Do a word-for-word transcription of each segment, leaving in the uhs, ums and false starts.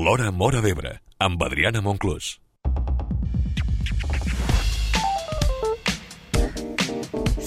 L'Hora Móra d'Ebre, amb Adriana Monclús.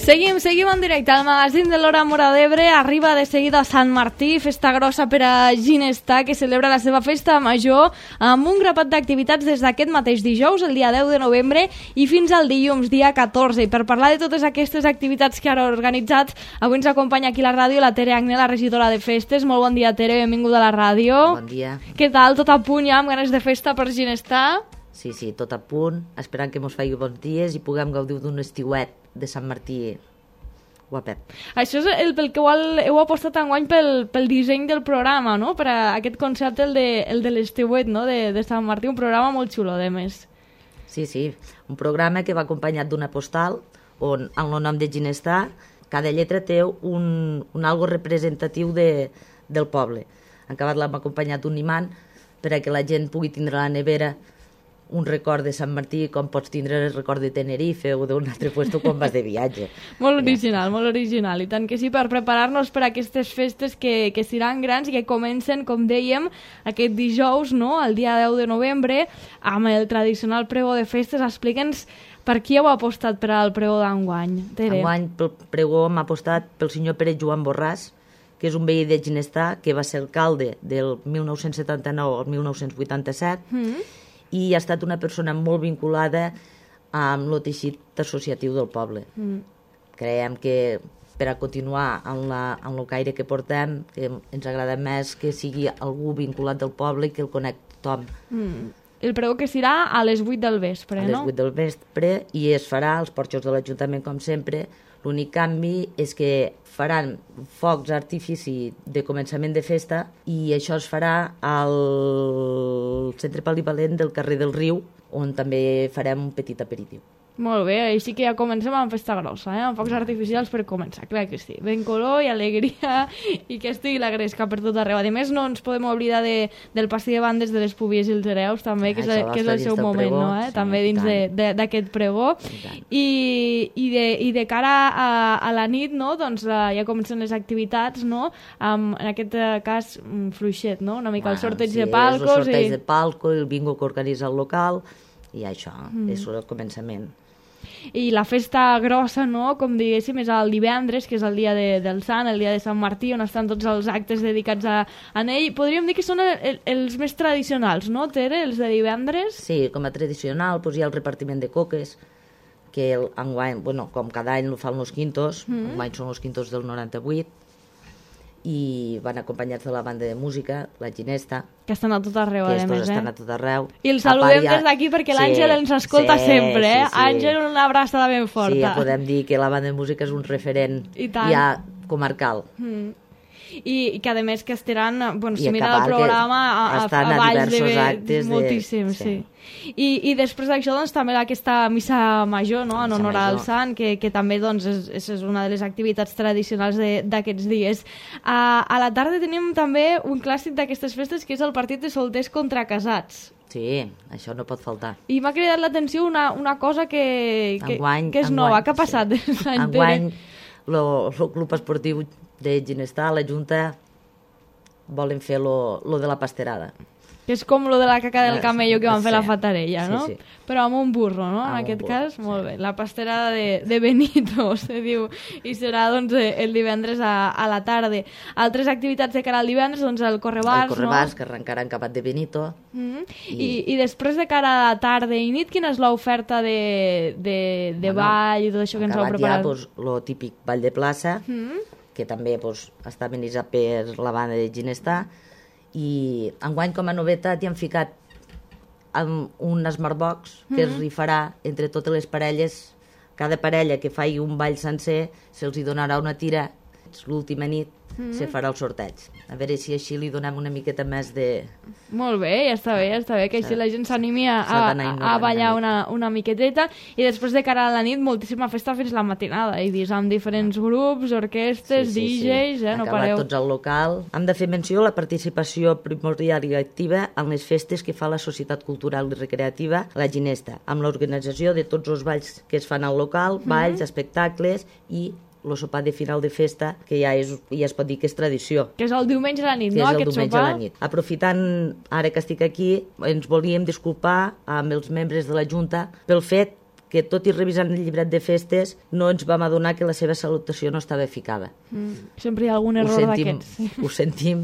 Seguim, seguim en directe. El magazín de l'Hora Móra d'Ebre arriba de seguida a Sant Martí, festa grossa per a Ginestar, que celebra la seva festa major amb un grapat d'activitats des d'aquest mateix dijous, el dia deu de novembre, i fins al dilluns, dia catorze. I per parlar de totes aquestes activitats que han organitzat, avui ens acompanya aquí a la ràdio la Tere Agné, la regidora de festes. Molt bon dia, Tere, benvinguda a la ràdio. Bon dia. Què tal? Tot a punt ja, amb ganes de festa per Ginestar? Sí, sí, tot a punt, esperant que mos faci bons dies i puguem gaudir d'un estiuet de Sant Martí guapet. Això és el pel que heu apostat enguany pel, pel disseny del programa, no? Per a aquest concepte, el de, el de l'estiuet, no? de, de Sant Martí, un programa molt xulo, de més. Sí, sí, un programa que va acompanyat d'una postal on, en el nom de Ginestar, cada lletra té un, un algo representatiu de, del poble. En acabat l'hem acompanyat d'un imant per a que la gent pugui tindre a la nevera un record de Sant Martí, com pots tindre el record de Tenerife o d'un altre puesto quan vas de viatge. Molt original, ja. molt original. I tant que sí, per preparar-nos per a aquestes festes que, que seran grans i que comencen, com dèiem, aquest dijous, no?, el dia deu de novembre, amb el tradicional pregó de festes. Explica'ns per qui heu apostat per al pregó d'enguany, Tere. Enguany, pel pregó hem apostat pel senyor Pere Joan Borràs, que és un veí de Ginestar, que va ser alcalde del mil nou-cents setanta-nou al mil nou-cents vuitanta-set, mm-hmm. i ha estat una persona molt vinculada amb el teixit associatiu del poble. Mm. Creiem que per a continuar en, la, en el caire que portem, que ens agrada més que sigui algú vinculat del poble i que el conec tothom. Mm. El pregó que serà a les vuit del vespre, no? A les vuit del vespre, i es farà als porxos de l'Ajuntament, com sempre. L'únic canvi és que faran focs artifici de començament de festa i això es farà al centre polivalent del carrer del Riu, on també farem un petit aperitiu. Molt bé, així que ja comencem amb festa grossa, eh? Amb focs artificials per començar, clar que sí. Ben color i alegria i que estigui la gresca per tot arreu. A més, no ens podem oblidar de, del pastí de bandes de les Pubies i els Hereus, també, que és, el, que és el seu moment, pregó, no? Eh? Sí, també dins d'aquest pregó. I, i, de, I de cara a, a la nit, no? Doncs uh, ja comencen les activitats, no? Um, en aquest uh, cas, um, fluixet, no? Una mica bueno, el sorteig sí, de palcos. El sorteig i... de palco, el bingo que organitza el local, i això, mm. és el començament. I la festa grossa, no?, com diguéssim, és el divendres, que és el dia de, del Sant, el dia de Sant Martí, on estan tots els actes dedicats a, a ell. Podríem dir que són el, el, els més tradicionals, no, Tere, els de divendres? Sí, com a tradicional, doncs hi ha el repartiment de coques, que el, enguany, bueno, com cada any ho fan els quintos, mm. enguany són els quintos del noranta-vuit, i van acompanyats de la banda de música, la Ginesta, que estan a tot arreu, que a més, estan eh? a tot arreu. I el saludem ja... des d'aquí perquè sí, l'Àngel ens escolta sí, sempre, eh? Sí, sí. Àngel, una abraçada ben forta. Sí, ja podem dir que la banda de música és un referent ja comarcal. Mm. I, i que a més que estaran, bueno, si I mira el programa a, a, a, a Valls de actes moltíssim, de... sí. sí. I, I després d'això, doncs, també aquesta missa major, no?, en honor al Sant, que, que també, doncs, és, és una de les activitats tradicionals d'aquests dies. A, a la tarda tenim també un clàssic d'aquestes festes, que és el partit de solters contra casats. Sí, això no pot faltar. I m'ha cridat l'atenció una, una cosa que, que, enguany, que és enguany, nova. Què ha passat? Sí. Enguany, el club esportiu de Ginestar, la Junta, volen fer lo, lo de la pasterada. Que és com lo de la caca del camello que van sí. fer la Fatarella, no? Sí, sí. Però amb un burro, no? En amb aquest burro, cas, sí. molt bé. La pasterada de, de Benito, se diu, i serà, doncs, el divendres a, a la tarda. Altres activitats de cara al divendres, doncs, el correbars, no? El correbars, que arrencarà en Capat de Benito. Mm-hmm. I... I, I després de cara a la tarda i nit, quina és l'oferta de, de, de bueno, ball i tot això que ens heu preparat? Acabat ja, doncs, lo típic ball de plaça, mm-hmm. que també doncs, està amenitzat per la banda de Ginestar, i enguany com a novetat hi han ficat amb un smartbox que mm-hmm. es rifarà entre totes les parelles. Cada parella que faci un ball sencer se'ls donarà una tira. L'última nit mm-hmm. se farà el sorteig. A veure si així li donem una miqueta més de... Molt bé, ja està bé, ja està bé, que així la gent s'animi a, a, a ballar una, una miqueteta. I després de cara a la nit, moltíssima festa fins la matinada. He vist amb diferents grups, orquestes, sí, sí, D Js, sí. eh, no acabat pareu. Tots al local. Hem de fer menció la participació primordial i activa en les festes que fa la Societat Cultural i Recreativa La Ginesta, amb l'organització de tots els balls que es fan al local, balls, mm-hmm. espectacles i el sopar de final de festa, que ja, és, ja es pot dir que és tradició. Que és el diumenge a la nit, que no, és el aquest diumenge sopar? a la nit. Aprofitant, ara que estic aquí, ens volíem disculpar amb els membres de la Junta pel fet que, tot i revisant el llibret de festes, no ens vam adonar que la seva salutació no estava ficada. Mm, sempre hi ha algun error d'aquests. Sí. Ho sentim,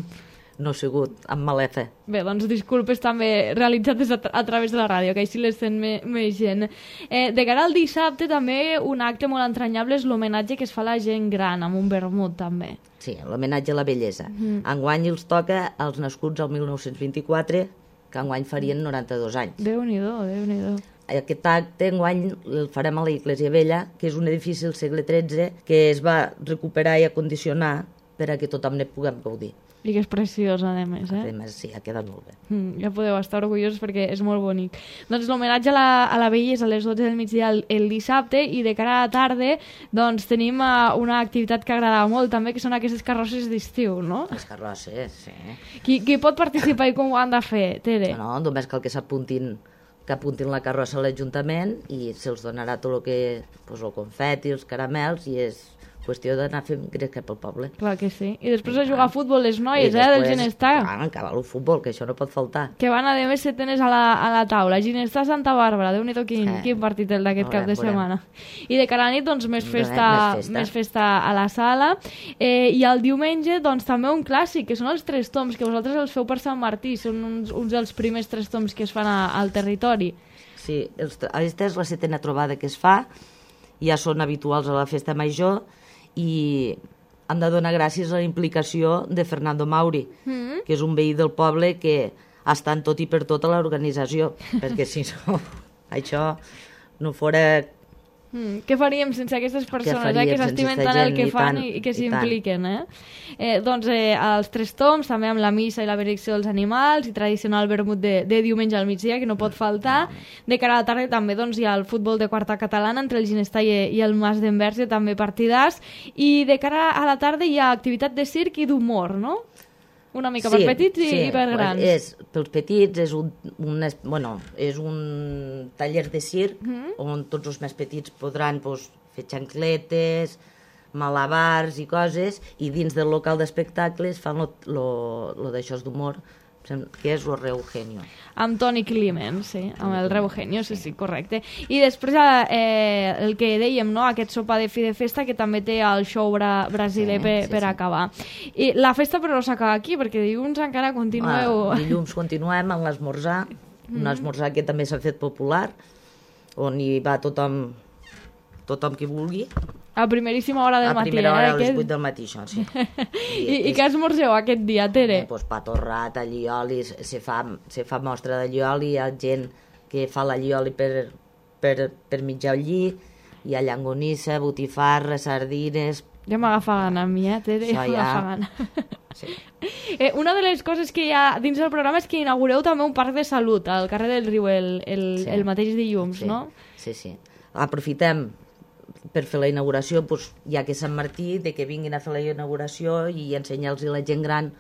no ha sigut amb mala fe. Bé, doncs disculpes també realitzades a, tra a través de la ràdio, que així les sent me més gent. Eh, de cara al dissabte, també un acte molt entranyable és l'homenatge que es fa a la gent gran, amb un vermut, també. Sí, l'homenatge a la bellesa. Mm. Enguany els toca als nascuts al mil nou-cents vint-i-quatre, que enguany farien noranta-dos anys. Déu-n'hi-do, Déu-n'hi-do. Aquest acte enguany el farem a la Iglésia Vella, que és un edifici del segle tretze que es va recuperar i acondicionar per a que tothom ne puguem gaudir. I que és preciós, a més, eh? A més, sí, ha quedat molt bé. Mm, ja podeu estar orgullosos perquè és molt bonic. Doncs l'homenatge a, la, a la bellesa a les dotze del migdia el, el dissabte, i de cara a la tarda doncs tenim uh, una activitat que agrada molt també, que són aquestes carrosses d'estiu, no? Les carrosses, sí. Qui, qui pot participar i com ho han de fer, Tere? No, no, només cal que s'apuntin que apuntin la carrossa a l'Ajuntament i se'ls donarà tot el que, pues, el confeti, els caramels, i és qüestió d'anar fent gresca pel poble. Clar que sí. I després a jugar a futbol les noies, I eh, del després, Ginestar. clar, acabar el futbol, que això no pot faltar. Que van a de més setenes a la, a la taula. Ginestar Santa Bàrbara, Déu-n'hi-do quin, Eh. quin partit el d'aquest cap de Veurem, setmana. I de cara a la nit, doncs, més Més- festa, més festa. més festa a la sala. Eh, I el diumenge, doncs, també un clàssic, que són els tres toms, que vosaltres els feu per Sant Martí. Són uns, uns dels primers tres toms que es fan a, al territori. Sí, els, aquesta és la setena trobada que es fa, ja són habituals a la festa major, i hem de donar gràcies a la implicació de Fernando Mauri, Mm. que és un veí del poble que està en tot i per tot a l'organització, perquè si no, això no fora... Mm, què faríem sense aquestes persones, faríem eh, que sense s'estimen aquesta tant el gent, que i fan tant, i, i que i s'impliquen, eh? eh? Doncs eh, els tres toms, també amb la missa i la benedicció dels animals, i tradicional vermut de, de diumenge al migdia, que no pot faltar. De cara a la tarda també doncs, hi ha el futbol de quarta catalana entre el Ginestar i, i el Mas d'Enverge, també partidars, i de cara a la tarda hi ha activitat de circ i d'humor, no? Una mica per petits i, sí, i per grans. És, pels petits és un, un, es- bueno, és un taller de circ Mhm. on tots els més petits podran, pues, fer xancletes, malabars i coses, i dins del local d'espectacles fan lo, lo, lo d'això d'humor, que és lo Reugenio. Amb Toni Climent, sí, amb el Reugenio, sí, sí, correcte. I després eh, el que dèiem, no?, aquest sopar de fi de festa, que també té el show bra brasiler Sí, per, sí, per sí. acabar. I la festa però no s'acaba aquí, perquè dilluns encara continueu... Ah, dilluns continuem amb l'esmorzar, Mm. un esmorzar que també s'ha fet popular, on hi va tothom, tothom qui vulgui, A primeríssima hora del a matí, primera hora eh? a les Aquest... vuit del matí, això, sí. I, I què esmorzeu aquest dia, Tere? Eh, pues, pa torrat, allioli, se fa, se fa mostra d'allioli, hi ha gent que fa l'allioli per, per, per mitjar el lli, hi ha llangonissa, botifarra, sardines... Ja m'agafa gana a mi, eh, Tere? Això Ja ja- m'agafa gana. Sí. Eh, una de les coses que hi ha dins del programa és que inaugureu també un parc de salut al carrer del Riu el, el, Sí. el mateix dilluns, Sí, no? sí, sí. Aprofitem per fer la inauguració, doncs, ja que és Sant Martí, de que vinguin a fer la inauguració i ensenyar-los a la gent gran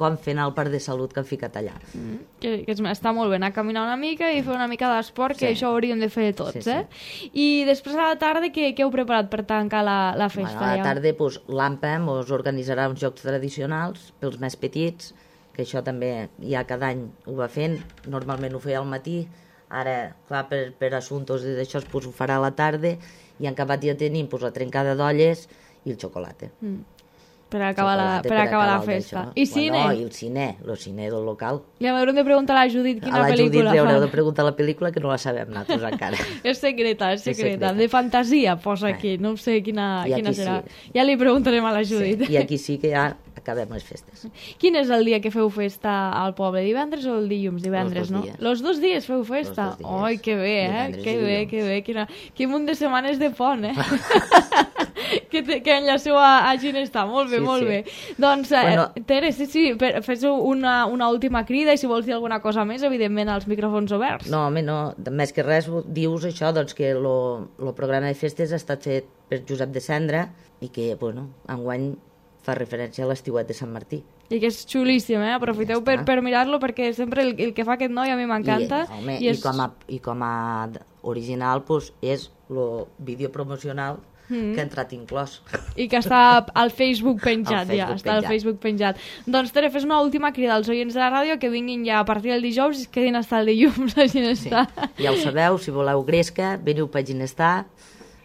com fer anar al parc de salut que han ficat allà. Mm, que, que és, està molt bé anar a caminar una mica i fer una mica d'esport, que Sí. això ho hauríem de fer tots, Sí, sí. eh? I després a la tarda, què, què heu preparat per tancar la, la festa? Bueno, a la ja? tarda doncs, l'AMPA us organitzarà uns jocs tradicionals pels més petits, que això també ja cada any ho va fent, normalment ho feia al matí, ara, clar, per, per assumptes i d'això doncs, ho farà a la tarda, i en acabat ja tenim doncs, la trencada d'olles i el xocolata. Mm. Per acabar la, Xocolata per acabar la el festa. d'això. I cine? Bueno, i el cine, el cine del local. Ja m'haurem de preguntar a la Judit quina a la Judit pel·lícula li haureu fan. de preguntar la pel·lícula, que no la sabem nosaltres encara. És secreta, és És secreta. secreta. De fantasia posa Eh. aquí, no sé quina, I quina aquí serà. sí. Ja li preguntarem a la Judit. Sí, i aquí sí que ja acabem les festes. Quin és el dia que feu festa al poble? Divendres o el dilluns? Divendres, Los dos no? dies. Los dos dies feu festa? Los dos dies. Ai, que bé, eh? Divendres Que i bé, dilluns. que bé. Quina... Quin munt de setmanes de pont, eh? que, te, que enllaceu a, a Ginestar. Molt bé, Sí, molt sí. bé. Doncs, eh, Bueno. Tere, sí, sí, per, fes una, una última crida, i si vols dir alguna cosa més, evidentment, als micròfons oberts. No, home, no. Més que res, dius això, doncs, que el programa de festes ha estat fet per Josep de Cendra i que, bueno, enguany fa referència a l'estiuet de Sant Martí. I que és xulíssim, eh? Aprofiteu Ja per, està. per mirar-lo, perquè sempre el, el que fa aquest noi a mi m'encanta. I, home, I i, és... com a, i com a original, doncs, és el vídeo promocional mm. que ha entrat inclòs. I que està al Facebook penjat, al Facebook ja, està penjat. al Facebook penjat. Doncs, Tere, fes una última crida als oients de la ràdio que vinguin ja a partir del dijous i es quedin hasta el dilluns a Ginestar. Sí. Ja ho sabeu, si voleu gresca, veniu per Ginestar,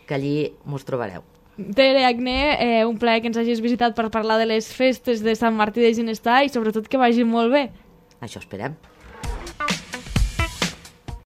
que allí mos trobareu. Tere Agné, eh, un plaer que ens hagis visitat per parlar de les festes de Sant Martí de Ginestar i sobretot que vagi molt bé. Això esperem.